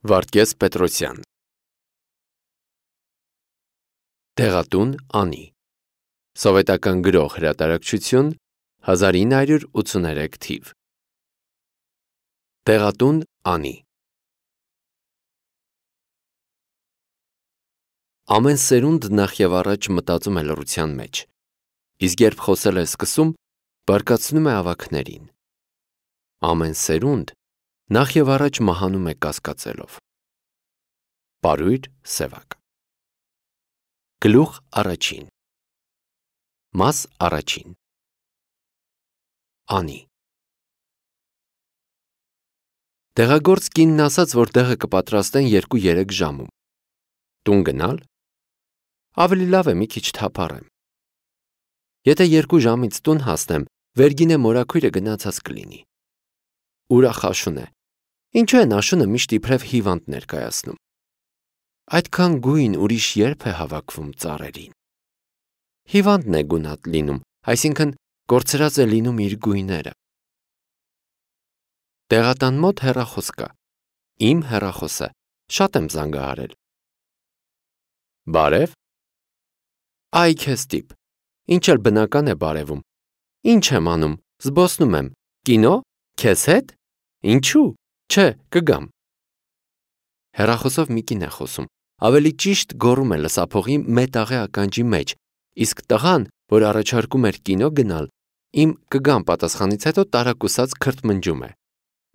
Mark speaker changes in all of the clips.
Speaker 1: Վարդգես Պետրոսյան Տեղատուն Անի Սովետական գրող հրատարակչություն 1983 թիվ Տեղատուն Անի Ամեն սերունդ նախ և առաջ մտածում է լռության մեջ, իսկ երբ խոսել է սկսում, բարկացնում է ավագներին։ Ամեն սերունդ նախ և առաջ մահանում է կասկածելով։ Պարույր Սևակ Գլուխ առաջին Մաս առաջին Անի Տեղագործ կինն ասաց, որ դեղը կպատրաստեն 2-3 ժամում։ Տուն գնալ։ Ավելի լավ է մի քիչ թափառեմ։ Եթե 2 ժամից տուն հասնեմ, վերգինե մորաքույրը գնացած կլինի։ Ուրախ Աշուն է։ Ինչու են Աշունը միշտ իբրև հիվանդ ներկայացնում։ Այդքան գույն ուրիշ երբ է հավաքվում ծառերին։ Հիվանդն է գունատ լինում, այսինքն կորցրած է լինում իր գույները։ Տեղատան մոտ հեռախոս կա։ Իմ հեռախոսը, շատ եմ զանգահարել։ Բարև։ Այ քեզ տիպ, ինչ էլ բնական է բարևում։ Ինչ եմ անում, զբոսնում եմ, կինո, քեզ հետ, ինչու, չէ, կգամ։ Հեռախոսով մի կին է խոսում, ավելի ճիշտ գոռում է լսափողի մետաղե ականջի մեջ, իսկ տղան, որ առաջարկում էր կինո գնալ, իմ կգամ պատասխանից հետո տարակուսած քրթմնջում է։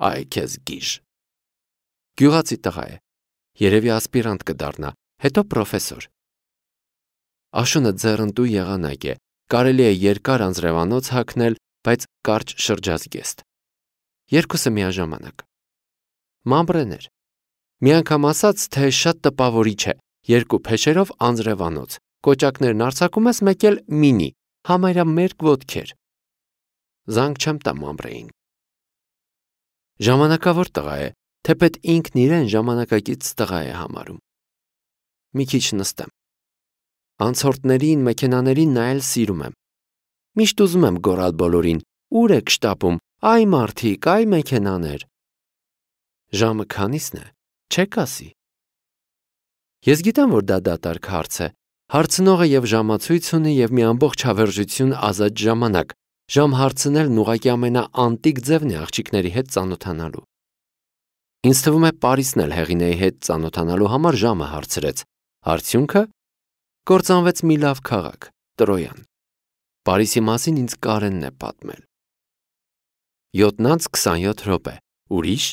Speaker 1: Այ քեզ գիժ։ Գյուղացի տղա է, երևի ասպիրանտ կդառնա, հետո պրոֆեսոր։ Աշունը ձեռնտու եղանակ է, կարելի է երկար անձրևանոց հագնել, բայց կարճ շրջազգեստ։ Երկուսը միաժամանակ։ Մամբրեներ։ Մի անգամ ասաց, թե շատ տպավորիչ է, 2 փեշերով անձրևանոց, կոճակներն արձակում ես, մեկ էլ մինի, համարյա մերկ ոտքեր։ Զանգ չեմ տա մամբրեին։ Ժամանակավոր տղա է, թեպետ ինքն իրեն ժամանակակից տղա է համարում։ Մի քիչ նստեմ։ Անցորդներին, մեքենաներին նայել սիրում եմ։ Միշտ ուզում եմ գոռալ բոլորին, ուր եք շտապում, այ մարդիկ, այ մեքենաներ։ Ժամը քանիսն է, չեք ասի։ Ես գիտեմ, որ դա դատարկ հարց է, հարցնողը և ժամացույց ունի և մի ամբողջ հավերժություն ազատ ժամանակ, ժամ հարցնելն ուղղակի ամենաանտիկ ձևն է աղջիկների հետ ծանոթանալու։ Ինձ թվում է Պարիսն էլ Հեղինեի հետ ծանոթանալու համար ժամը հարցրեց, արդյունքը կործանվեց մի լավ քաղաք, Տրոյան։ Պարիսի մասին ինձ Կարենն է պատմել։ 7:27 րոպե, ուրիշ։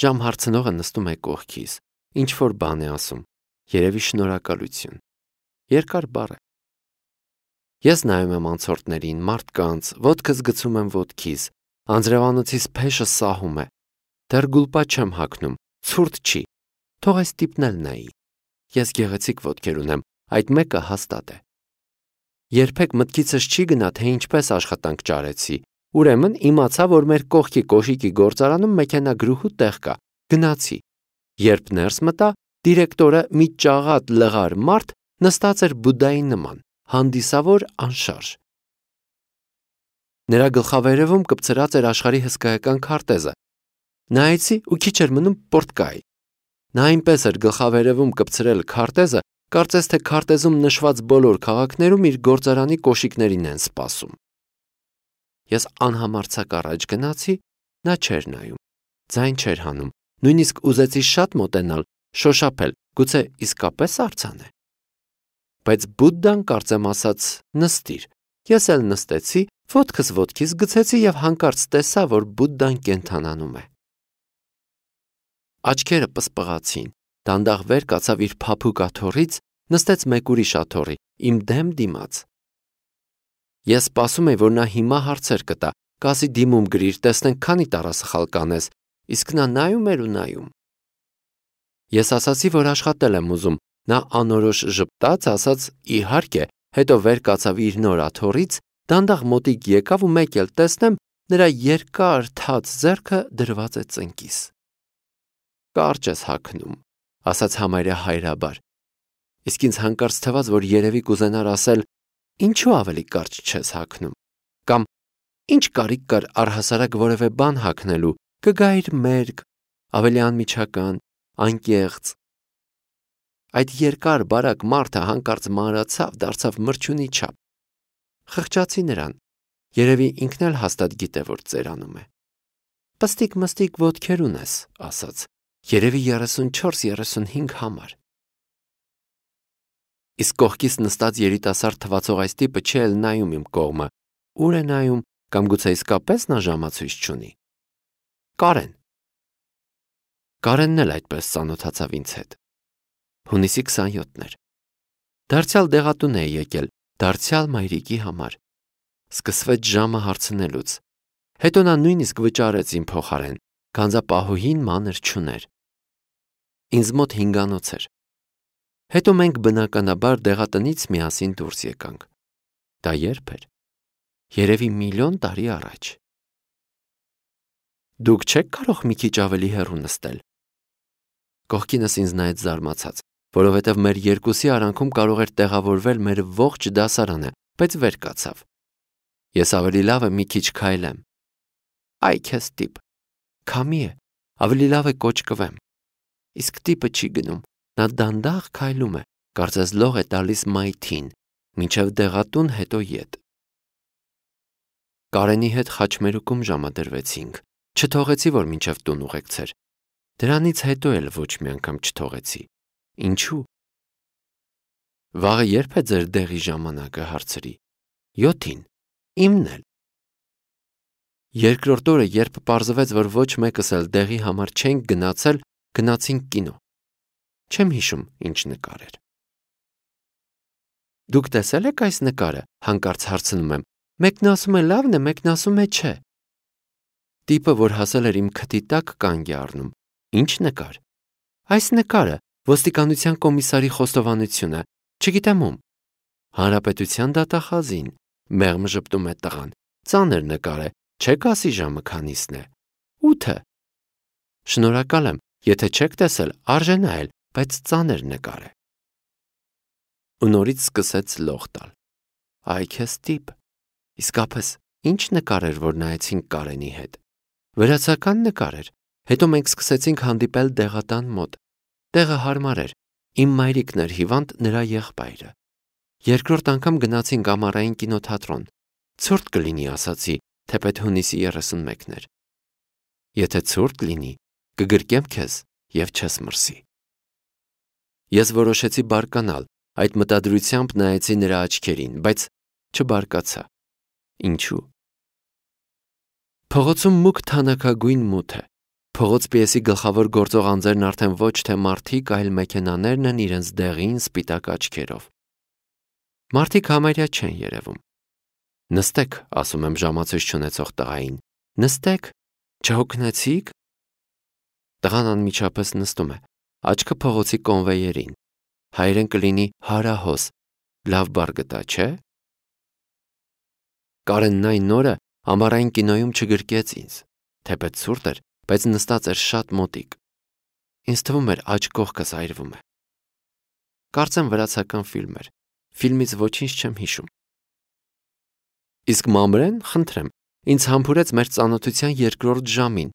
Speaker 1: Ժամ հարցնողը նստում է կողքիս, ինչ-որ բան է ասում, երևի շնորհակալություն, երկար բառ է։ Ես նայում եմ անցորդներին, մարդկանց, ոտքս գցում եմ ոտքիս, անձրևանոցիս փեշը սահում է, դեռ գուլպա չեմ հագնում, ցուրտ չի, թող այս տիպն էլ նայի։ Ես գեղեցիկ ոտքեր ունեմ, այդ մեկը հաստատ է։ Երբեք մտքիցս չի գնա, թե ինչպես աշխատանք ճարեցի, ուրեմն իմացա, որ մեր կողքի կոշիկի գործարանում մեքենագրուհու տեղ կա, գնացի։ Երբ ներս մտա, դիրեկտորը մի ճաղատ լղար մարդ նստած էր բուդդայի նման, հանդիսավոր անշարժ։ Նրա գլխավերևում կպցրած էր աշխարհի հսկայական քարտեզը։ Նայեցի ու քիչ էր մնում պորտկայի։ Նա այնպես էր գլխավերևում կպցրել քարտեզը, կարծես թե քարտեզում նշված բոլոր քաղաքներում իր գործարանի կոշիկներին են սպասում։ Ես անհամարձակ առաջ գնացի, նա չէր նայում, ձայն չէր հանում, նույնիսկ ուզեցի շատ մոտենալ, շոշափել, գուցե իսկապես արձան է։ Բայց Բուդդան կարծեմ ասաց նստիր, ես էլ նստեցի, ոտքս ոտքիս գցեցի և հանկարծ տեսա, որ Բուդդան կենդանանում է։ Աչքերը պսպղացին, դանդաղ վեր կացավ իր փափուկ աթոռից, նստեց մեկ ուրիշ աթոռի, իմ դեմ դիմաց։ Ես սպասում էի, որ նա հիմա հարցեր կտա, կասի դիմում գրիր, տեսնենք քանի տառասխալ կանես, իսկ նա նայում էր ու նայում։ Ես ասացի, որ աշխատել եմ ուզում, նա անորոշ ժպտաց, ասաց իհարկե, հետո վեր կացավ իր նոր աթոռից, դանդաղ մոտիկ եկավ ու մեկ էլ տեսնեմ, նրա երկար թաց ձեռքը դրված է ծնկիս։ Կարճ ես հագնում, ասաց համարյա հայրաբար։ Իսկ ինձ հանկարծ թվաց, որ երևի կուզենար ասել, ինչու ավելի կարճ չես հագնում, կամ ինչ կարիք կար առհասարակ որևէ բան հագնելու, կգայիր մերկ, ավելի անմիջական, անկեղծ։ Այդ երկար բարակ մարդը հանկարծ մանրացավ, դարձավ մրջյունի չափ։ Խղճացի նրան, երևի ինքն էլ հաստատ գիտե, որ ծերանում է։ Պստիկ-մստիկ ոտքեր ունես, ասաց, երևի 34-35 համար։ Իսկ կողքից նստած երիտասարդ թվացող այս տիպը չի էլ նայում իմ կողմը, ուր է նայում, կամ գուցե իսկապես նա ժամացույց չունի։ Կարենն էլ այդպես ծանոթացավ ինձ հետ։ Հունիսի 27-ն էր։ Դարձյալ դեղատուն է եկել, դարձյալ մայրիկի համար։ Սկսվեց ժամը հարցնելուց։ Հետո նա նույնիսկ վճարեց իմ փոխարեն, գանձապահուհին մանր չուներ։ Ինձ մոտ 5-անոց էր։ Հետո մենք բնականաբար դեղատնից միասին դուրս եկանք։ Դա երբ էր։ Երևի միլիոն տարի առաջ։ Դուք չեք կարող մի քիչ ավելի հեռու նստել։ Կողքինս ինձ նայեց զարմացած, որովհետև մեր երկուսի արանքում կարող էր տեղավորվել մեր ողջ դասարանը, բայց վեր կացավ։ Ես ավելի լավ է մի քիչ քայլեմ։ Այ քեզ տիպ։ Քամի է, ավելի լավ է կոճկվեմ։ Իսկ տիպը չի գնում, նա դանդաղ քայլում է, կարծես լող է տալիս մայթին, մինչև դեղատուն, հետո ետ։ Կարենի հետ խաչմերուկում ժամադրվեցինք, չթողեցի, որ մինչև տուն ուղեկցեր։ Դրանից հետո էլ ոչ մի անգամ չթողեցի։ Ինչու։ Վաղը երբ է ձեր դեղի ժամանակը, հարցրի։ 7-ին, իմն էլ։ Երկրորդ օրը, երբ պարզվեց, որ ոչ մեկս էլ դեղի համար չենք գնացել, գնացինք կինո։ Չեմ հիշում, ինչ նկար էր։ Դուք տեսել եք այս նկարը, հանկարծ հարցնում եմ։ Մեկն ասում է լավն է, մեկն ասում է չէ։ Տիպը, որ հասել էր իմ քթի տակ, կանգ է առնում։ Ինչ նկար։ Այս նկարը, ոստիկանության կոմիսարի խոստովանությունը, չգիտեմ ում։ Հանրապետության դատախազին, մեղմ ժպտում է տղան։ Ծանր նկար է, չեք ասի ժամը քանիսն է։ 8-ը։ Շնորհակալ եմ, եթե չեք տեսել, արժե նայել, բայց ծանր նկար է։ Ու նորից սկսեց լող տալ։ Այ քեզ տիպ։ Իսկապես, ինչ նկար էր, որ նայեցինք Կարենի հետ։ Վրացական նկար էր։ Հետո մենք սկսեցինք հանդիպել դեղատան մոտ։ Տեղը հարմար էր։ Իմ մայրիկն էր հիվանդ, նրա եղբայրը։ Երկրորդ անգամ գնացինք ամառային կինոթատրոն։ Ցուրտ կլինի, ասացի, թեպետ հունիսի 31-ն էր։ Եթե ցուրտ լինի, կգրկեմ քեզ և չես մրսի։ Ես որոշեցի բարկանալ, այդ մտադրությամբ նայեցի նրա աչքերին, բայց չբարկացա։ Ինչու։ Փողոցում մուգ թանաքագույն մութ է։ Փողոց պիեսի գլխավոր գործող անձերն արդեն ոչ թե մարդիկ, այլ մեքենաներն են իրենց դեղին սպիտակ աչքերով։ Մարդիկ համարյա չեն երևում։ Նստեք, ասում եմ ժամացույց չունեցող տղային։ Նստեք, չհոգնեցիք։ Տղան անմիջապես նստում է, աչքը փողոցի կոնվեյերին։ Հայերեն կլինի հարահոս, լավ բառ գտա, չէ։ Կարենն այն օրը ամառային կինոյում չգրկեց ինձ, թեպետ ցուրտ էր, բայց նստած էր շատ մոտիկ։ Ինձ թվում էր աջ կողքս այրվում է։ Կարծեմ վրացական ֆիլմ էր, ֆիլմից ոչինչ չեմ հիշում։ Իսկ մամրեն, խնդրեմ, ինձ համբուրեց մեր ծանոթության երկրորդ ժամին,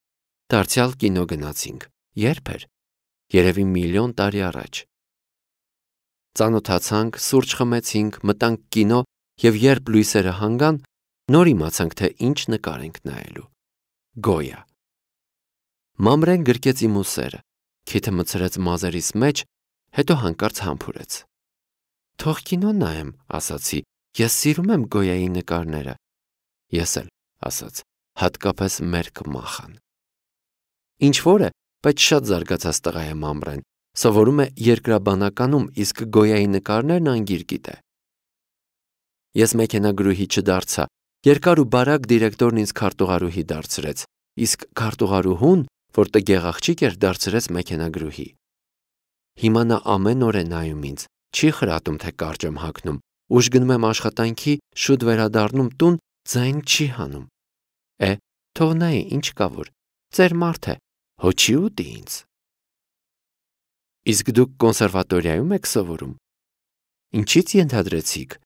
Speaker 1: դարձյալ կինո գնացինք։ Երբ էր։ Երևի միլիոն տարի առաջ։ Ծանոթացանք, սուրճ խմեցինք, մտանք կինո և երբ լույսերը հանգան, նոր իմացանք, թե ինչ նկար ենք նայելու։ Գոյա։ Մամրեն գրկեց իմ ուսերը, քիթը մտցրեց մազերիս մեջ, հետո հանկարծ համբուրեց։ Թող կինո նայեմ, ասացի, ես սիրում եմ Գոյայի նկարները։ Ես էլ, ասաց, հատկապես մերկ մախան։ Ինչ-որ է, բայց շատ զարգացած տղա է Մամրեն, սովորում է երկրաբանականում, իսկ Գոյայի նկարներն անգիր գիտե։ Ես մեքենագրուհի չդարձա, երկար ու բարակ դիրեկտորն ինձ քարտուղարուհի դարձրեց, իսկ քարտուղարուհուն, որ տգեղ աղջիկ էր, դարձրեց մեքենագրուհի։ Հիմա նա ամեն օր է նայում ինձ, չի խրատում, թե կարճ եմ հագնում, ուշ գնում եմ աշխատանքի, շուտ վերադառնում տուն, ձայն չի հանում։ Թող նայի, ինչ կա որ, ծեր մարդ է, հո չի ուտի ինձ։ Իսկ դուք կոնսերվատորիայում եք սովորում։ Ինչից ենթադրեցիք։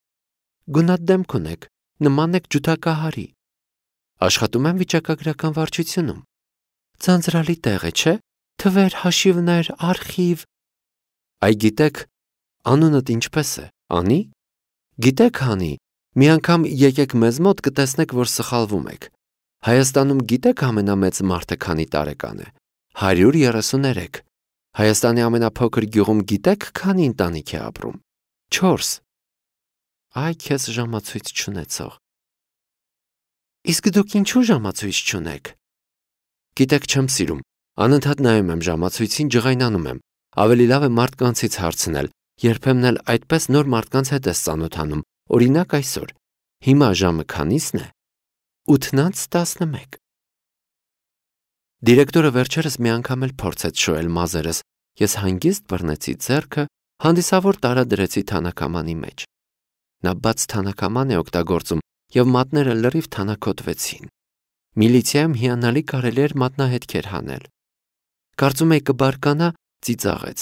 Speaker 1: Գունատ դեմք ունեք, նման եք ջութակահարի։ Աշխատում եմ վիճակագրական վարչությունում։ Ձանձրալի տեղ է, չէ։ թվեր, հաշիվներ, արխիվ։ Այ գիտեք, անունդ ինչպես է, Անի։ Գիտեք, Անի, մի անգամ եկեք մեզ մոտ կտեսնեք, որ սխալվում եք։ Հայաստանում գիտեք ամենամեծ մարդը քանի տարեկան է։ 133։ Հայաստանի ամենափոքր գյուղում գիտեք քանի ընտանիք է ապրում։ 4։ Այ քեզ ժամացույց չունեցող։ Իսկ դուք ինչու ժամացույց չունեք։ Գիտեք, չեմ սիրում։ Անընդհատ նայում եմ ժամացույցին, ջղայնանում եմ։ Ավելի լավ է մարդկանցից հարցնել, երբեմն էլ այդպես նոր մարդկանց հետ ես ծանոթանում։ Օրինակ այսօր։ Հիմա ժամը քանիսն է։ 8:11։ Դիրեկտորը վերջերս մի անգամ էլ փորձեց շոյել մազերս։ Ես հանգիստ բռնեցի ձեռքը, հանդիսավոր տարադրեցի թանաքամանի մեջ։ Նա բաց թանաքաման է օգտագործում եւ մատները լրիվ թանաքոտվեցին։ Միլիցիայում հիանալի կարելի էր մատնահետքեր հանել։ Կարծում էի կբարկանա, ծիծաղեց։